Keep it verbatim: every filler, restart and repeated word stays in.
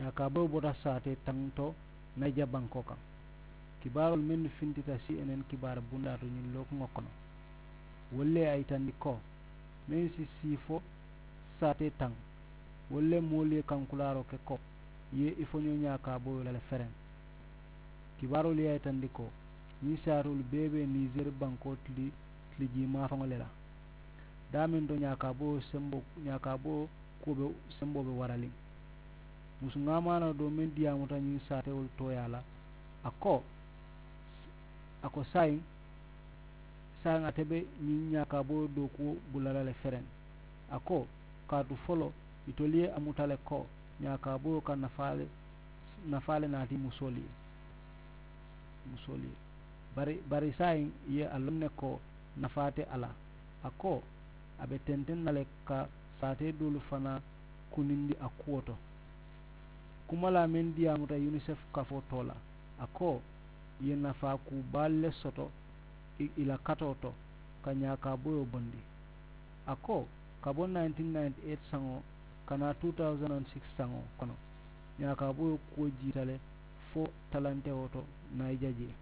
ñaakaaboyoo bota saatee taŋ to nayija bankoo kaŋ. Kibaaroolu mennu fintita si enen kibaara bundaa to ñiŋ lookuŋo kono, wolu le ye a yitandi ko meŋ si siifo saatee taŋ, wolu le moolu ye kankulaaroo ke ko i ye i foñoo ñaakaaboyoo la le fereŋ. Kibaaroolu ye a yitandi ko ñiŋ saatoolu bee be niiseeri bankoo tili tili jii maafaŋo le la. Daameŋ to ñaakaaboyoo semboo ñaakaaboyoo kuwo be semboo be waraliŋ. Musu ŋaamaanoo doo meŋ diyaamuta ñiŋ saatewolu tooyaa la, a ko a ko saayiŋ saayiŋ ate be ñiŋ ñaakaaboyoo dookuwo bula la le fereŋ. A ko kaatu foloo itolu ye a muta le ko ñaakaaboyoo ka nafaa le nafaa le naati musoolu ye musoolu ye. Bari bari saayiŋ i ye a loŋ ne ko nafaa te a la. A ko a be tenteŋ na le ka saatee doolu fanaa kunindi a kuwo to. Kumalaa meŋ diyaamuta unicef kafoo too la, a ko i ye nafaa kuu baalu le soto i la katoo to ka ñaakaaboyoo bondi. A ko ka bo nineteen ninety eight saŋo ka naa two thousand and six saŋo kono, ñaakaaboyoo kuwo jiita le fo talantewo to nayija jee.